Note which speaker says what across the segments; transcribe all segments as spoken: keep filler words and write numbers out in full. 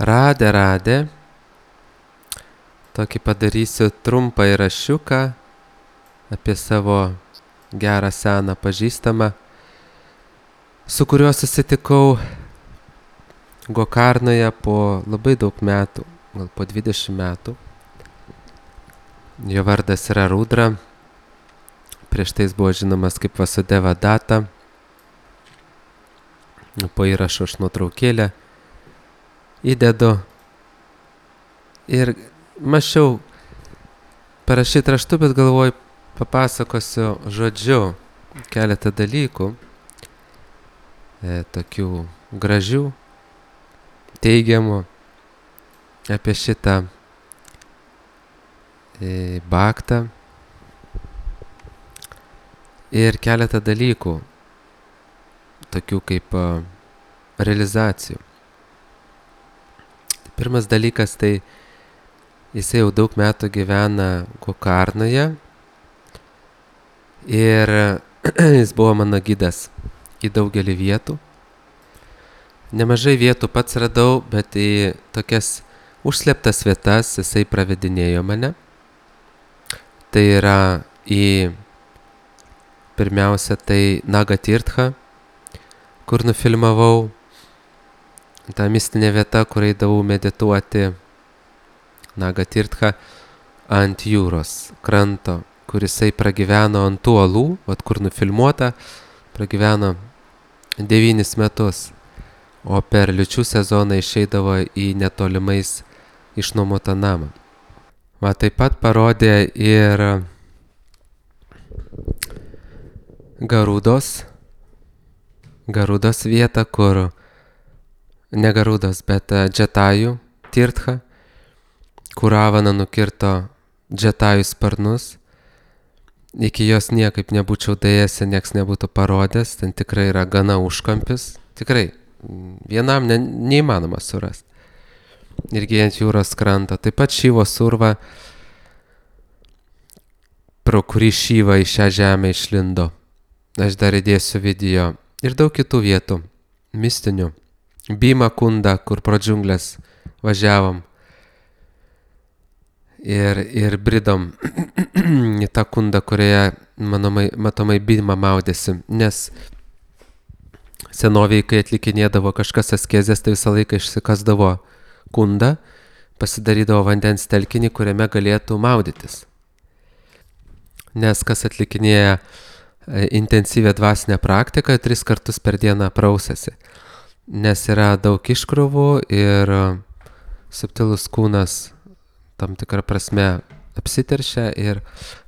Speaker 1: Radę, radę. Tokį padarysiu trumpą įrašiuką apie savo gerą seną pažįstamą, su kuriuo susitikau Gokarnoje po labai daug metų, gal po dvidešimt metų. Jo vardas yra Rudra, prieš tai jis buvo žinomas kaip Vasudeva Data. Po įrašo aš nuotraukėlę įdedu ir mačiau parašyti raštu, bet galvoju, papasakosiu žodžiu keletą dalykų, e, tokių gražių, teigiamų apie šitą e, baktą ir keletą dalykų, tokių kaip a, realizacijų. Pirmas dalykas, tai jisai jau daug metų gyvena Gokarnoje ir jis buvo mano gidas į daugelį vietų. Nemažai vietų pats radau, bet į tokias užslėptas vietas jisai pravedinėjo mane. Tai yra į pirmiausia tai Nagatirtha, kur nufilmavau tą mistinę vietą, kur eidavau medituoti. Nagatirtha ant jūros kranto, kur jisai pragyveno ant tų uolų, vat kur nufilmuota, pragyveno devynis metus, o per liūčių sezoną išeidavo į netolimais išnuomotą namą. Va, taip pat parodė ir Garudos, Garudos vietą, kur ne Garudos, bet Džatajų Tirtha, kur Ravana nukirto Džatajų sparnus. Iki jos niekaip nebūčiau daėjęs, nieks nebūtų parodęs, ten tikrai yra gana užkampis, tikrai vienam ne, neįmanoma surasti. Irgi ant jūros kranto. Taip pat Šyvo surva, pro kurį Šyva į šią žemę išlindo. Aš dar įdėsiu video. Ir daug kitų vietų, mistinių. Bima kunda, kur pro džiunglės važiavom. Ir, ir bridom į tą kundą, kurioje manomai, matomai Bima maudėsi. Nes senoviai, kai atlikinėdavo kažkas askezės, tai visą laiką išsikasdavo kundą, pasidarydavo vandens telkinį, kuriame galėtų maudytis. Nes kas atlikinėja intensyvę dvasinę praktiką, tris kartus per dieną prausėsi. Nes yra daug iškrovų ir subtilus kūnas tam tikrą prasme apsiteršia ir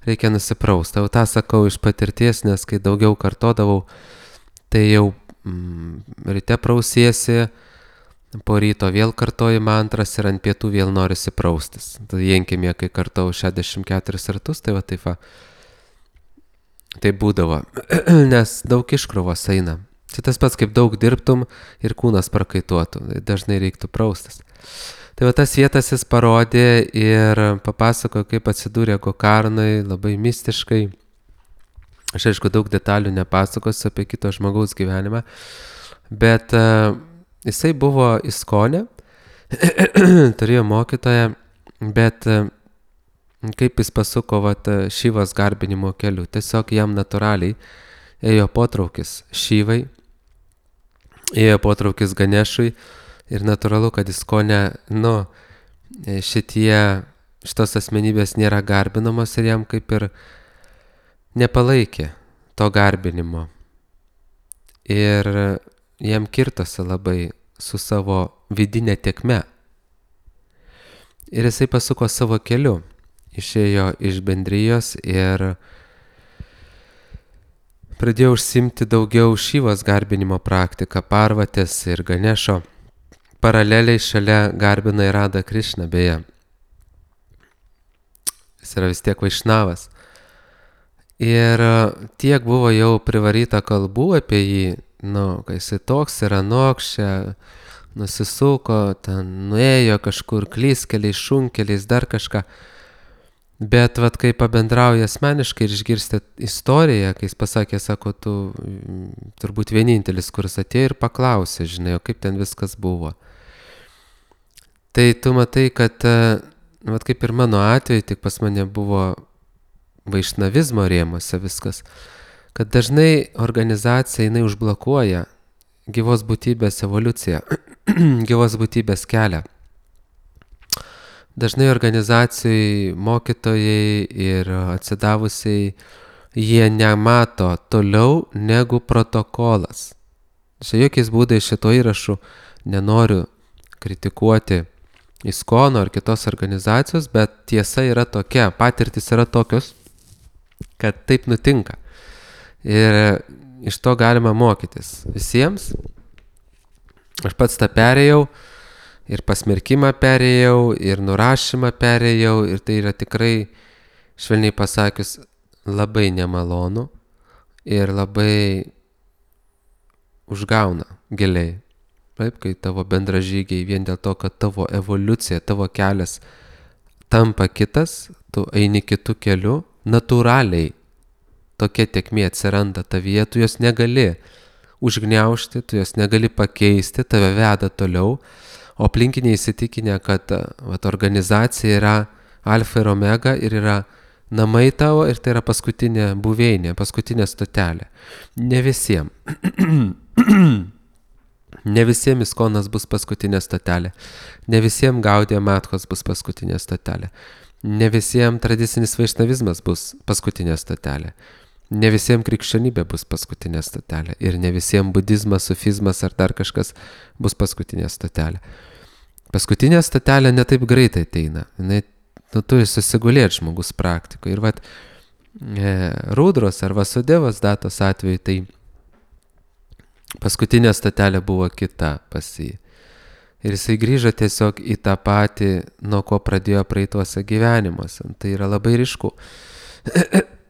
Speaker 1: reikia nusiprausti. Jau tą sakau iš patirties, nes kai daugiau kartodavau, tai jau mm, ryte prausiesi, po ryto vėl kartoji mantras ir ant pietų vėl norisi praustis. Tai jenkimė, kai kartau šešiasdešimt keturis kartus, tai va taip va. Tai būdavo, nes daug iškrovos eina. Tai tas pats, kaip daug dirbtum ir kūnas prakaituotų, dažnai reiktų praustis. Tai va tas vietas jis parodė ir papasakojo, kaip atsidūrė Gokarnoj, labai mistiškai. Aš aišku daug detalių nepasakosiu apie kito žmogaus gyvenimą, bet uh, jisai buvo Iskone, turėjo mokytoją, bet uh, kaip jis pasuko vat, Šyvos garbinimo keliu. Tiesiog jam natūraliai ėjo potraukis Šyvai, ėjo potraukis Ganešui ir natūralu, kad Iskone, nu, šitie, šitos asmenybės nėra garbinamos ir jam kaip ir nepalaikė to garbinimo. Ir jam kirtosi labai su savo vidinė tėkme. Ir jisai pasuko savo keliu. Išėjo iš bendrijos ir pradėjo užsimti daugiau Šyvos garbinimo praktiką, Parvatės ir Ganešo. Paraleliai šalia garbina ir Radha Krišną, beje. Jis yra vis tiek vaišnavas. Ir tiek buvo jau privaryta kalbų apie jį, nu, kai jisai toks yra noks, čia nusisuko, ten nuėjo kažkur klyskeliais, šunkeliais, dar kažką. Bet vat, kai pabendrauja asmeniškai ir išgirsti istoriją, kai jis pasakė, sako, tu turbūt vienintelis, kuris atėjo ir paklausė, žinai, o kaip ten viskas buvo. Tai tu matai, kad, vat kaip ir mano atveju, tik pas mane buvo vaišnavizmo rėmuose viskas, kad dažnai organizacija jinai užblokuoja gyvos būtybės evoliuciją, gyvos būtybės kelią. Dažnai organizacijai, mokytojai ir atsidavusiai, jie nemato toliau negu protokolas. Čia jokiais būdais šito įrašu nenoriu kritikuoti ISKONO ar kitos organizacijos, bet tiesa yra tokia, patirtis yra tokios, kad taip nutinka. Ir iš to galima mokytis visiems. Aš pats tą perėjau. Ir pasmerkimą perėjau, ir nurašymą perėjau, ir tai yra tikrai, švelniai pasakius, labai nemalonu ir labai užgauna giliai. Taip, kai tavo bendražygiai vien dėl to, kad tavo evoliucija, tavo kelias tampa kitas, tu eini kitų kelių, natūraliai tokia tėkmė atsiranda tavyje, tu jos negali užgniaužti, tu jos negali pakeisti, tave veda toliau. O aplinkiniai įsitikinę, kad vat, organizacija yra alfa ir omega ir yra namai tavo ir tai yra paskutinė buveinė, paskutinė stotelė. Ne visiems. Ne visiems ISKONas bus paskutinė stotelė. Ne visiems Gaudija Matkos bus paskutinė stotelė. Ne visiems tradicinis vaišnavizmas bus paskutinė stotelė. Ne visiems krikščionybė bus paskutinė stotelė. Ir ne visiems budizmas, sufizmas ar dar kažkas bus paskutinė stotelė. Paskutinė stotelė ne taip greitai ateina. Jis nu, turi susigulėti žmogus praktikoje. Ir vat e, Rudros ar Vasudevos datos atveju, tai paskutinė stotelė buvo kita pas jį. Ir jisai grįžo tiesiog į tą patį, nuo ko pradėjo praeituose gyvenimuose. Tai yra labai ryšku.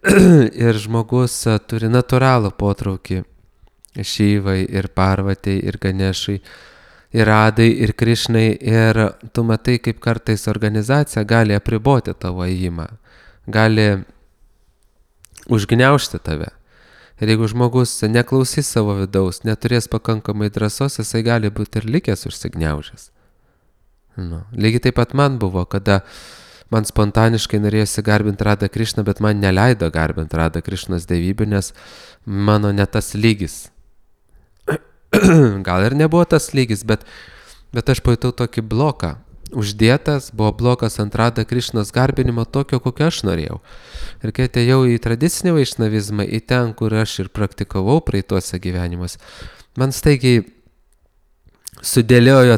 Speaker 1: Ir žmogus turi natūralų potraukį Šyvai ir Parvatei ir Ganešai ir Radai ir Krišnai. Ir tu matai, kaip kartais organizacija gali apriboti tavo ėjimą, gali užgniaužti tave. Ir jeigu žmogus neklausys savo vidaus, neturės pakankamai drąsos, jisai gali būti ir likęs užsigniaužęs. Nu, lygiai taip pat man buvo, kada man spontaniškai norėjosi garbinti Radą Krišną, bet man neleido garbinti Radą Krišnos dievybę, nes mano ne tas lygis. Gal ir nebuvo tas lygis, bet, bet aš pajutau tokį bloką. Uždėtas buvo blokas ant Radą Krišnos garbinimo tokio, kokio aš norėjau. Ir kai atėjau į tradicinį vaišnavizmą, į ten, kur aš ir praktikavau praeituose gyvenimus, man staigiai sudėliojo,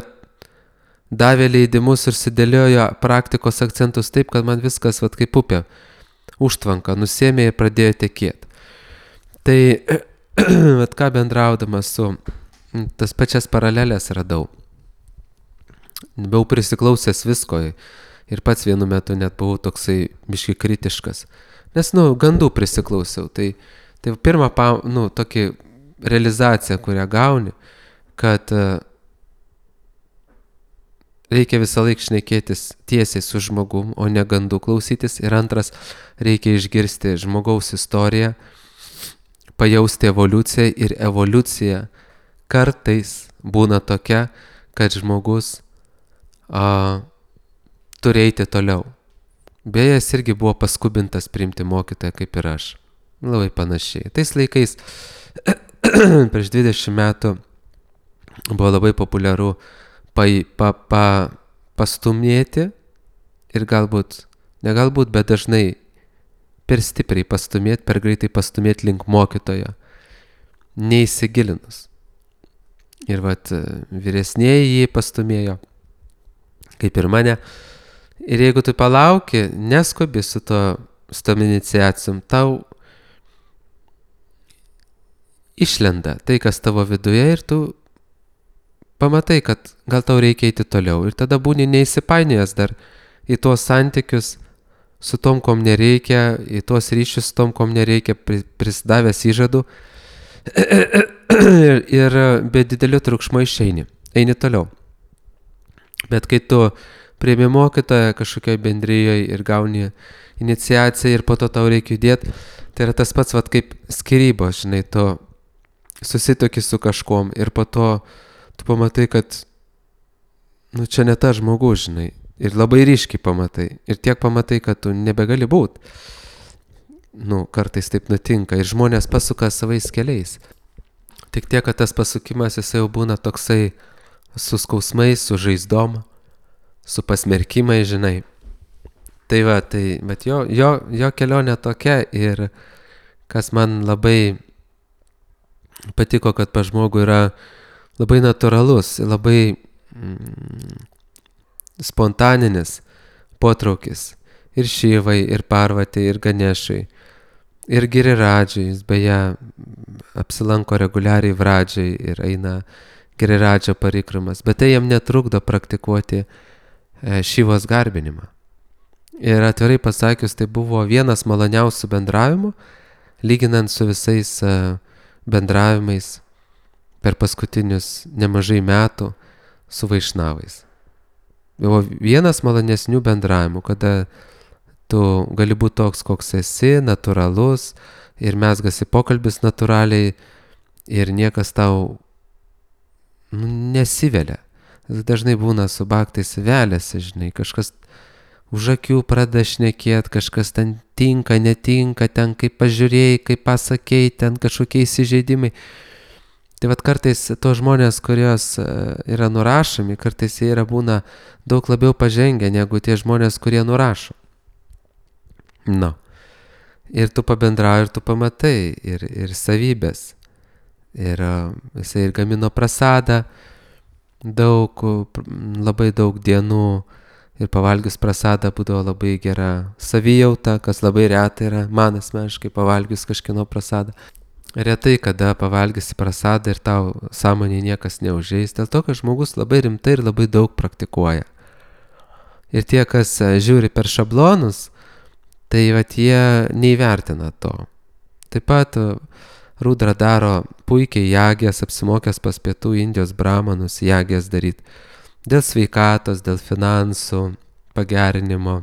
Speaker 1: davė leidimus ir sudėliojo praktikos akcentus taip, kad man viskas vat, kaip upė užtvanka nusėmė ir pradėjo tekėti. Tai vat, ką bendraudamas su tas pačias paralelės radau. Buvau prisiklausęs visko ir pats vienu metu net buvau toksai biški kritiškas. Nes, nu, gandų prisiklausiau. Tai, tai pirma, nu, tokia realizacija, kurią gauni, kad reikia visą laiką šnekėtis tiesiai su žmogum, o ne gandų klausytis. Ir antras, reikia išgirsti žmogaus istoriją, pajausti evoliuciją. Ir evoliucija kartais būna tokia, kad žmogus a, turi eiti toliau. Beje, jis irgi buvo paskubintas priimti mokytoją kaip ir aš. Labai panašiai. Tais laikais, prieš dvidešimt metų, buvo labai populiaru pa, pa, pa, pastumėti ir galbūt, ne galbūt, bet dažnai per stipriai pastumėti, per greitai pastumėti link mokytojo, neįsigilinus. Ir vat vyresnieji jį pastumėjo, kaip ir mane. Ir jeigu tu palauki, neskubi su to, su tom iniciacijom, tau išlenda tai, kas tavo viduje, ir tu pamatai, kad gal tau reikia eiti toliau. Ir tada būni neįsipainėjęs dar į tuos santykius su tom, kom nereikia, į tuos ryšius su tom, kom nereikia, prisidavęs įžadų. Ir, ir be didelių triukšmo išeini, eini toliau. Bet kai tu priimi mokytoją kažkokioj bendrijoje ir gauni iniciaciją ir po to tau reikia judėti, tai yra tas pats vat, kaip skyrybos, žinai, tu susitoki su kažkom ir po to tu pamatai, kad nu čia ne ta žmogus, žinai. Ir labai ryškiai pamatai. Ir tiek pamatai, kad tu nebegali būt. Nu, kartais taip nutinka. Ir žmonės pasuka savais keliais. Tik tiek, kad tas pasukimas jisai jau būna toksai su skausmais, su žaizdom, su pasmerkimai, žinai. Tai va, tai, bet jo, jo, jo kelionė tokia ir kas man labai patiko, kad pas žmogų yra labai natūralus, labai mm, spontaninis potraukis. Ir Šivai, ir Parvatai, ir Ganešai, ir Giriradžiai. Jis beje apsilanko reguliariai Vradžiai ir eina Giriradžio parikramas. Bet tai jam netrukdo praktikuoti e, Šivos garbinimą. Ir atvirai pasakius, tai buvo vienas maloniausių bendravimų, lyginant su visais uh, bendravimais per paskutinius nemažai metų su vaišnavais. Buvo vienas malonesnių bendravimų, kada tu gali būti toks, koks esi, natūralus ir mezgasi pokalbis natūraliai ir niekas tau nu, nesivelia. Dažnai būna su baktais veliasi, žinai, kažkas už akių pradeda šnekėt, kažkas ten tinka, netinka, ten kaip pažiūrėjai, kaip pasakėjai, ten kažkokie įsižeidimai. Tai vat kartais to žmonės, kurios yra nurašomi, kartais jie yra būna daug labiau pažengę negu tie žmonės, kurie nurašo. Nu. Ir tu pabendrauji, ir tu pamatai, ir, ir savybės. Ir jisai ir gamino prasadą daug, labai daug dienų. Ir pavalgius prasadą būdavo labai gera savijauta, kas labai retai yra, man asmeniškai pavalgius kažkieno prasadą. Retai, kada pavalgysi prasadą ir tau sąmonėje niekas neužeis, dėl to, kad žmogus labai rimtai ir labai daug praktikuoja. Ir tie, kas žiūri per šablonus, tai vat jie neįvertina to. Taip pat Rudra daro puikiai jagės, apsimokęs pas pietų Indijos bramanus jagės daryti. Dėl sveikatos, dėl finansų pagerinimo,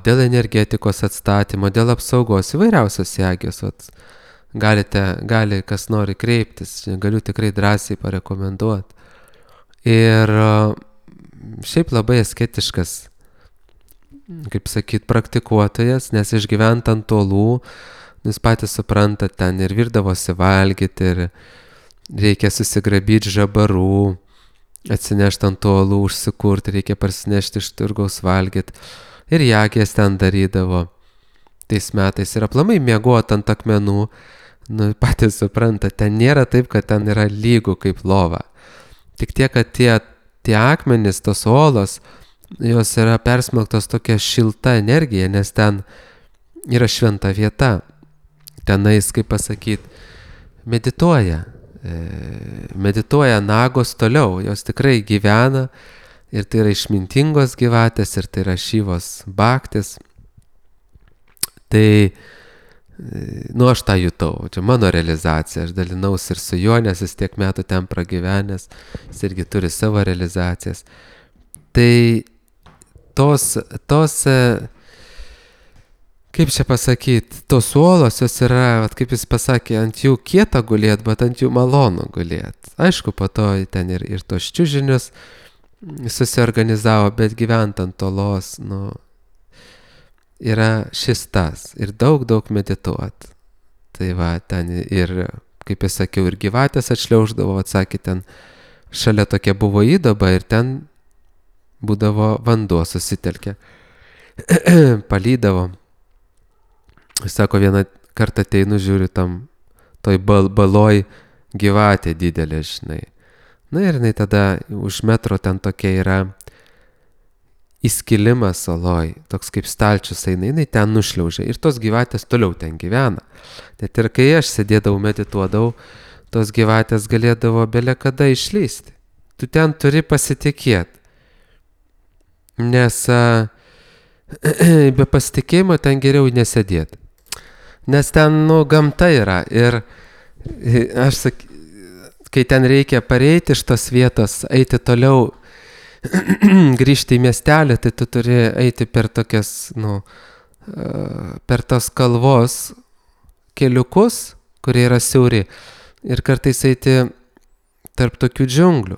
Speaker 1: dėl energetikos atstatymo, dėl apsaugos, įvairiausios jagės. Galite, gali kas nori kreiptis, galiu tikrai drąsiai parekomenduoti. Ir šiaip labai asketiškas, kaip sakyt, praktikuotojas, nes išgyvent ant tolų, jūs patys suprantat, ten ir virdavosi valgyti, ir reikia susigrabyti žabarų, atsinešti ant tolų, užsikurti, reikia parsinešti iš turgaus valgyti. Ir jagės ten darydavo tais metais. Ir aplamai miegot ant akmenų, nu patys supranta, ten nėra taip, kad ten yra lygų kaip lova. Tik tiek, kad tie, tie akmenys, tos olos, jos yra persmelktos tokia šilta energija, nes ten yra šventa vieta. Tenais, kaip pasakyti, medituoja. medituoja nagos toliau, jos tikrai gyvena ir tai yra išmintingos gyvatės ir tai yra Šivos baktis. Tai, nu aš tą jutau, čia mano realizacija, aš dalinausi ir su juo, nes jis tiek metų ten pragyvenęs, jis irgi turi savo realizacijas. Tai tos, tos kaip čia pasakyti, tos uolos jos yra, vat, kaip jis pasakė, ant jų kieta gulėt, bet ant jų malonu gulėt. Aišku, po to ten ir, ir tos čiužinius susiorganizavo, bet gyvent ant tolos, nu, yra šis tas. Ir daug, daug medituot. Tai va, ten ir, kaip jis sakiau, ir gyvatės atšliauždavo, atsakė, ten šalia tokia buvo įdaba ir ten būdavo vanduo susitelkę. Palydavo. Sako, vieną kartą ateinu, žiūriu tam toj bal, baloj gyvatė didelė, žinai. Na ir jinai tada už metro ten tokia yra įskilimas saloj, toks kaip stalčius eina, jinai ten nušliaužia ir tos gyvatės toliau ten gyvena. Net ir kai aš sėdėdavau, medituodavau, tos gyvatės galėdavo bele kada išlysti. Tu ten turi pasitikėti, nes a, be pasitikėjimo ten geriau nesėdėti. Nes ten, nu, gamta yra ir aš sak, kai ten reikia pareiti iš tos vietos, eiti toliau, grįžti į miestelį, tai tu turi eiti per tokias, nu, per tos kalvos keliukus, kurie yra siauri ir kartais eiti tarp tokių džiunglių.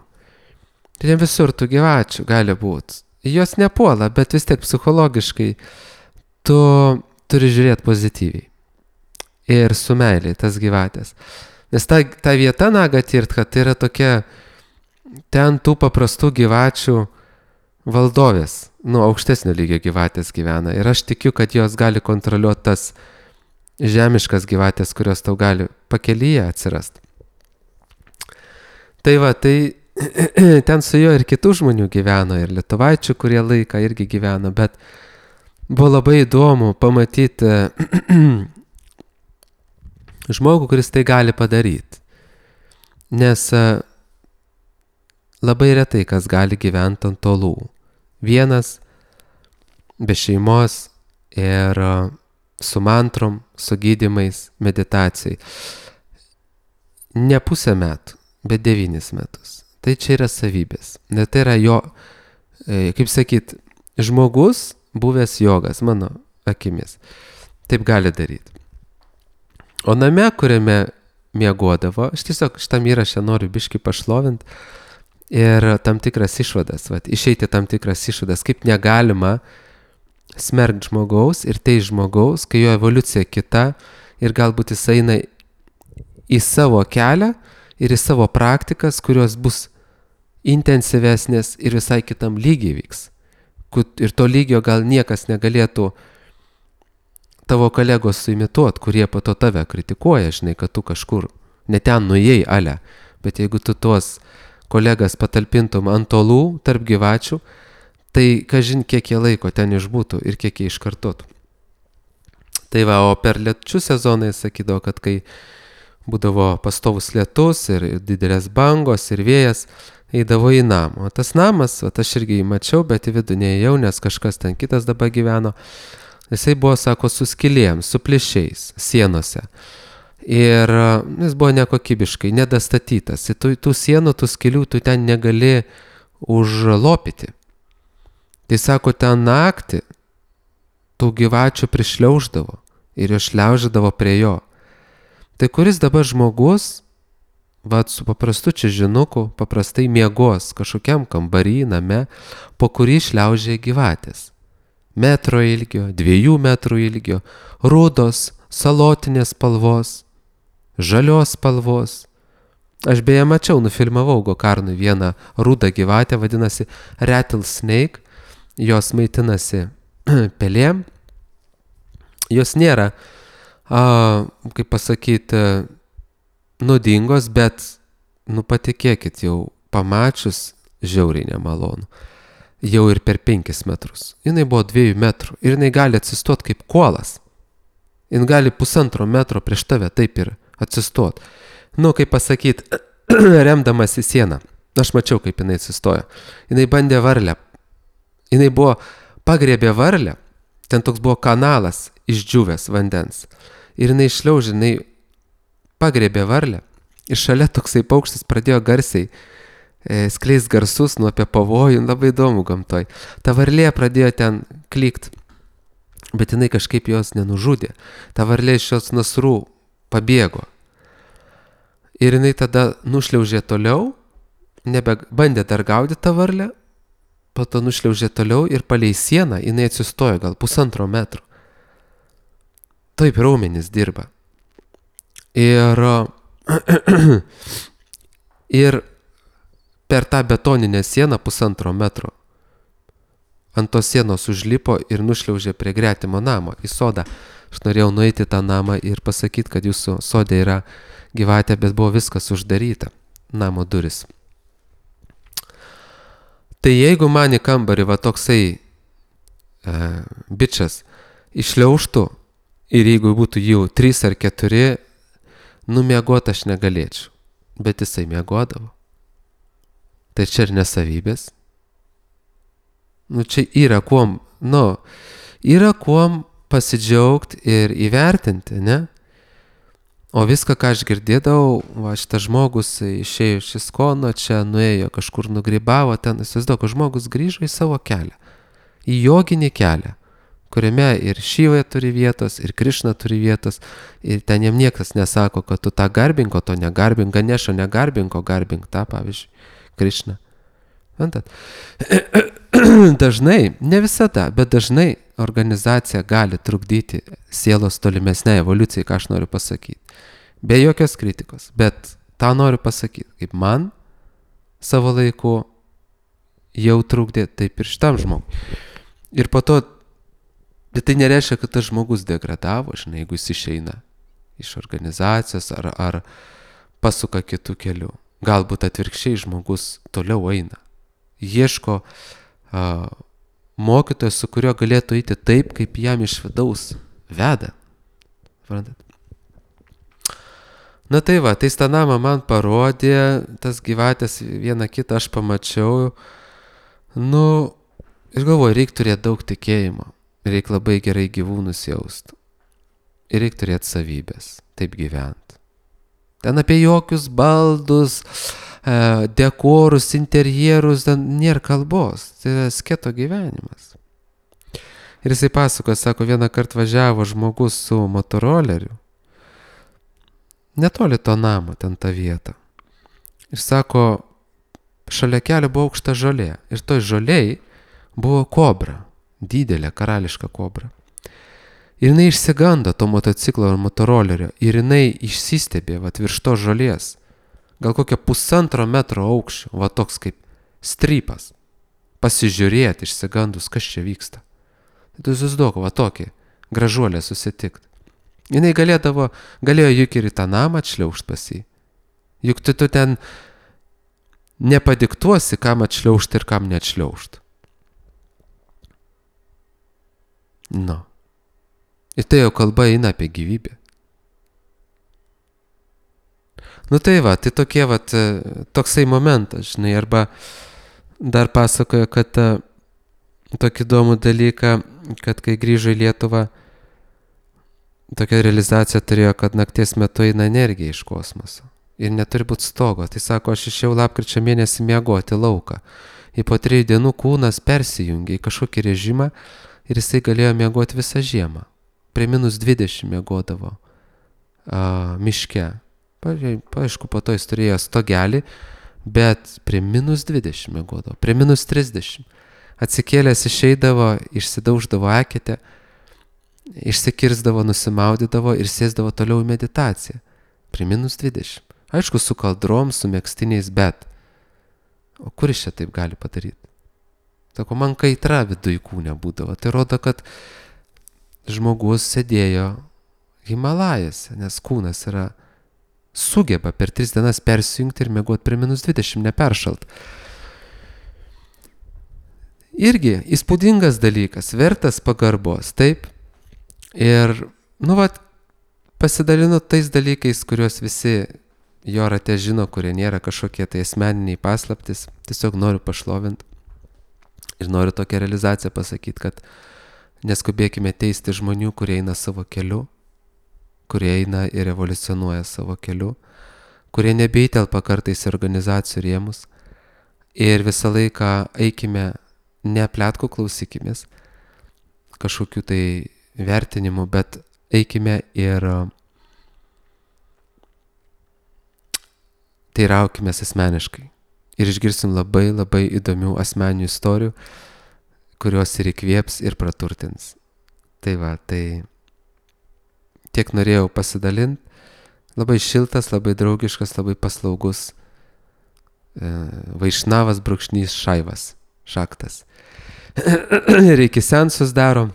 Speaker 1: Tai ne visur tų gyvačių gali būti. Jos nepuola, bet vis tiek psichologiškai tu turi žiūrėti pozityviai. Ir su meiliai tas gyvatės. Nes ta, ta vieta Nagatirtha, tai yra tokia, ten tų paprastų gyvačių valdovės, nu, aukštesnio lygio gyvatės gyvena. Ir aš tikiu, kad jos gali kontroliuoti tas žemiškas gyvatės, kurios tau gali pakelyje atsirasti. Tai va, tai ten su juo ir kitų žmonių gyveno, ir lietuvaičių, kurie laiką irgi gyveno, bet buvo labai įdomu pamatyti žmogų, kuris tai gali padaryti. Nes labai retai kas gali gyventi ant tolų. Vienas, be šeimos ir su mantrom, su gydymais, meditacijai. Ne pusę metų, bet devynis metus. Tai čia yra savybės. Nes tai yra jo, kaip sakyt, žmogus buvęs jogas, mano akimis. Taip gali daryti. O name, kuriame miegodavo, aš tiesiog šitam įrašę noriu biškį pašlovinti ir tam tikras išvadas, vat, išeiti tam tikras išvadas, kaip negalima smerkti žmogaus ir tai žmogaus, kai jo evoliucija kita ir galbūt jis eina į savo kelią ir į savo praktikas, kurios bus intensyvesnės ir visai kitam lygiai vyks. Ir to lygio gal niekas negalėtų tavo kolegos suimituot, kurie po to tave kritikuoja, žinai, kad tu kažkur ne ten nuėjai, ale. Bet jeigu tu tuos kolegas patalpintum ant tolų tarp gyvačių, tai kažin kiek jie laiko ten išbūtų ir kiek jie iškartotų. Tai va, o per liečių sezonai sakydavo, kad kai būdavo pastovus lietus ir didelės bangos ir vėjas, eidavo į namą. O tas namas, o aš irgi jį mačiau, bet į vidų neėjau, nes kažkas ten kitas dabar gyveno. Jisai buvo, sako, su skylėm, su plyšiais, sienose. Ir jis buvo nekokybiškai, nedastatytas. Tų, tų sienų, tų skylių tu ten negali užlopyti. Tai sako, ten naktį tų gyvačių prišliauždavo ir jo šliauždavo prie jo. Tai kuris dabar žmogus, vat su paprastu čižinuku, paprastai miegos kažkokiam kambarį, name, po kurį šliaužia gyvatės. Metro ilgio, dviejų metrų ilgio, rudos, salotinės spalvos, žalios spalvos. Aš beje mačiau, nufilmavau Gokarnui vieną rudą gyvatę, vadinasi rattlesnake, jos maitinasi pelėm. Jos nėra, a, kaip pasakyti, nuodingos, bet, nu patikėkit, jau pamačius žiauriai nemalonu. Jau ir per penkis metrus. Jinai buvo dviejų metrų ir jinai gali atsistoti kaip kuolas. Jin gali pusantro metro prieš tave taip ir atsistoti. Nu, kaip pasakyti, remdamas į sieną. Aš mačiau, kaip jinai atsistojo. Jinai bandė varlę. Jinai buvo, pagriebė varlę. Ten toks buvo kanalas išdžiūvęs vandens. Ir jinai išliaužė, jinai pagriebė varlę. Ir šalia toksai paukštis pradėjo garsiai e, skleis garsus nuo apie pavojų. Labai įdomu gamtoj. Ta varlė pradėjo ten klykt. Bet jinai kažkaip jos nenužudė. Ta varlė iš jos nasrų pabėgo. Ir jinai tada nušliaužė toliau, nebebandė dar gaudyti tą varlę, po to nušliaužė toliau ir palei sieną jinai atsistojo gal pusantro metro. Taip raumenys dirba. Ir, ir per tą betoninę sieną pusantro metro ant tos sienos užlipo ir nušliaužė prie gretimo namo į sodą. Aš norėjau nueiti tą namą ir pasakyti, kad jūsų sode yra gyvatė, bet buvo viskas uždaryta, namo duris. Tai jeigu man į kambarį va toksai e, bičas išliaužtų ir jeigu būtų jau trys ar keturi, numiegoti aš negalėčiau, bet jisai miegodavo. Tai čia ir nesavybės. Nu, čia yra kuom, nu, yra kuom pasidžiaugti ir įvertinti, ne? O viską, ką aš girdėdavau, va, šitas žmogus išėjo iš Iskono, čia nuėjo, kažkur nugrybavo, ten, įsivaizduoju, kad žmogus grįžo į savo kelią, į joginį kelią, kuriame ir Šiva turi vietos, ir Krišna turi vietos, ir ten jam niekas nesako, kad tu tą garbink, o to negarbink, Ganešo negarbink, o garbink tą, pavyzdžiui, Krišną. Antat? Dažnai, ne visada, bet dažnai organizacija gali trukdyti sielos tolimesnei evoliucijai, ką aš noriu pasakyti. Be jokios kritikos, bet tą noriu pasakyti, kaip man savo laiku jau trukdė, taip ir šitam žmogui. Ir po to, bet tai nereiškia, kad tas žmogus degradavo, žinai, jeigu jis išeina iš organizacijos ar, ar pasuka kitų kelių. Galbūt atvirkščiai žmogus toliau eina. Ieško uh, mokytojo, su kuriuo galėtų eiti taip, kaip jam iš vidaus veda. Suprantat? Na tai va, tai tą namą man parodė, tas gyvatės vieną kitą aš pamačiau. Nu, ir galvoju, reikia turėti daug tikėjimo. Reikia labai gerai gyvūnus jaust. Ir reikia turėti savybės, taip gyventi. Ten apie jokius baldus, dekorus, interjerus, ten nėra kalbos. Tai yra sketo gyvenimas. Ir jisai pasakoja, sako, vieną kartą važiavo žmogus su motoroleriu. Netoli to namo, ten tą vietą. Ir sako, šalia kelio buvo aukšta žolė. Ir toj žolėj buvo kobra, didelė karališka kobra. Ir jinai išsigando to motociklo ar motorolerio. Ir jinai išsistebė, va, virš to žolės. Gal kokią pusantro metro aukščio, va toks kaip strypas. Pasižiūrėti išsigandus, kas čia vyksta. Tai susiduok, va tokį gražuolę susitikt. Jinai galėdavo, galėjo juk ir į tą namą atšliaužt pas jį. Juk tu, tu ten nepadiktuosi, kam atšliaužt ir kam neatšliaužt. Nu. Ir tai jau kalba eina apie gyvybę. Nu tai va, tai tokie va, toksai momentas, žinai, arba dar pasakoja, kad tokį įdomų dalyką, kad kai grįžo į Lietuvą, tokia realizacija turėjo, kad nakties metu eina energija iš kosmoso. Ir neturi būti stogo. Tai sako, aš išėjau lapkričio mėnesį miegoti lauką. Ir po trijų dienų kūnas persijungė į kažkokį režimą ir jisai galėjo miegoti visą žiemą. Prie minus dvidešimt miegodavo a, miške. Pa, aišku, po to jis turėjo stogelį, bet prie minus dvidešimt miegodavo. Prie minus trisdešimt. Atsikėlęs išeidavo, išsidauždavo eketę, išsikirzdavo, nusimaudydavo ir sėsdavo toliau į meditaciją. Prie minus dvidešimt. Aišku, su kaldrom, su megztiniais, bet o kur iš čia taip gali padaryti? Tako, man kaitra viduj kūne būdavo. Tai rodo, kad žmogus sėdėjo Himalajose, nes kūnas yra sugeba per tris dienas persijungti ir miegoti prie minus dvidešimt, neperšalt. Irgi įspūdingas dalykas, vertas pagarbos, taip? Ir, nu, va, pasidalinu tais dalykais, kuriuos visi jo rate žino, kurie nėra kažkokie tai asmeniniai paslaptis. Tiesiog noriu pašlovinti ir noriu tokią realizaciją pasakyti, kad neskubėkime teisti žmonių, kurie eina savo keliu, kurie eina ir evoliucionuoja savo keliu, kurie nebeitelpa kartais į organizacijų rėmus. Ir visą laiką eikime, ne pletkų klausykimės, kažkokių tai vertinimų, bet eikime ir teiraukimės asmeniškai. Ir išgirsim labai labai įdomių asmeninių istorijų, kurios ir įkvėps ir praturtins. Tai va, tai tiek norėjau pasidalinti. Labai šiltas, labai draugiškas, labai paslaugus e, Vaišnavas brūkšnys Šaivas, šaktas. Reikia sensus daro.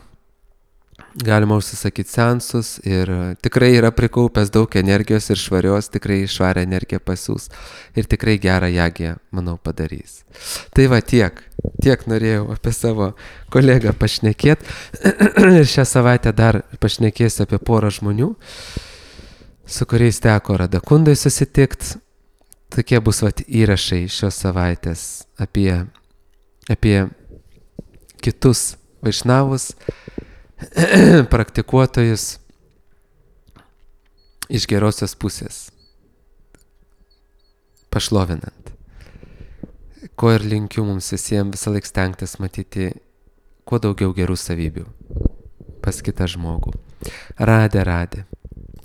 Speaker 1: Galima užsisakyti sensus ir tikrai yra prikaupęs daug energijos ir švarios, tikrai švarią energiją pasiūs ir tikrai gerą jagę, manau, padarys. Tai va tiek, tiek norėjau apie savo kolegą pašnekėti ir šią savaitę dar pašnekėsiu apie porą žmonių, su kuriais teko Radakundai susitikti. Tokie bus vat įrašai šios savaitės apie, apie kitus vaišnavus, praktikuotojus iš gerosios pusės, pašlovinant. Ko ir linkiu mums visiems visą laiką stengtis matyti kuo daugiau gerų savybių pas kitą žmogų. Radė, radė.